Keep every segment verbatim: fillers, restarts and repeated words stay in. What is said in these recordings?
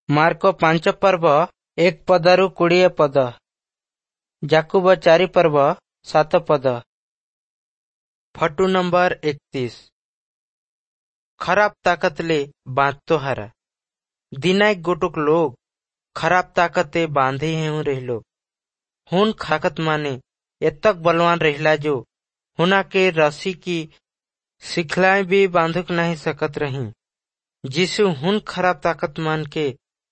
Mark ପାଞ୍ଚ ପର୍ବ ଏକ ପଦରୁ କୋଡ଼ିଏ ପଦ। ଯାକୁବ ଚାରି ପର୍ବ ସାତ ପଦ। ଫଟୁ ନମ୍ବର ଏକତିଶ। ଖରାପ ତାକତଲେ बांधतो हरा। दिनाइक गोटुक लोग खराब ताकते बांधे हेउ रहिलो। हुन खाकत माने एतक बलवान रहिला जो हुना के रस्सी की सिखलाएं भी बांधुक नहीं सकत रही। जीसु हुन खराब ताकत मान के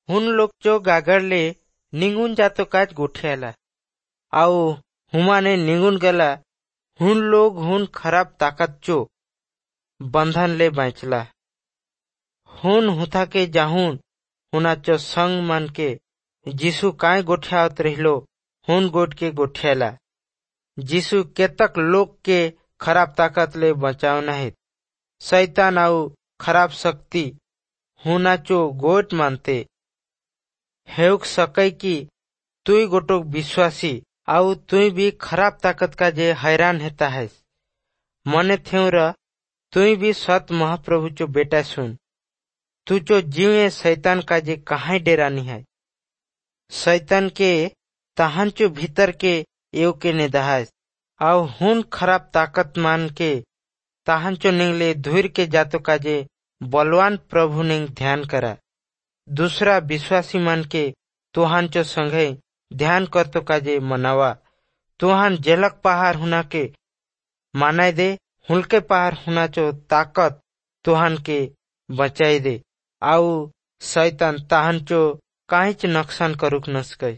हुन लोग जो गागर ले निंगुन जातो काज गोठियाला आउ हुमाने निंगुन गला। हुन लोग हुन खराब ताकत चो बंधन ले बाँचला। हुन हुथा के जाहुन हुना चो संग मन के जीसु काय गोठियावत रहिलो हुन गोठ के गोठियाला। जीसु केतक लोग के खराब ताकत ले बचाव नहीं। शैतान आउ खराब शक्ति हुना चो गोठ मानते हेउक सकै कि तुई गोटोक विश्वासी आउ तुई भी खराब ताकत का जे हैरान हेता है। मने थेउ र तुई भी सत महाप्रभु चो बेटा सुन। तू चो जीवे शैतान का जे कहाँ डेरानी है। शैतान के तहन चो भीतर के एव के नेदाहस आउ हुन खराब ताकत मान के तहन चो निंगले धुर के जातो का जे बलवान प्रभु निंग ध्यान करा। दूसरा विश्वासी मान के तुहान चो संगे ध्यान करतो का जे मनावा। तुहान जेलक पहाड़ हुना के मानाय दे हुलके पहाड़ हुना चो ताकत तुहान के बचाई दे आउ शैतान ताहन चो काहिच नुकसान करुक नसकै।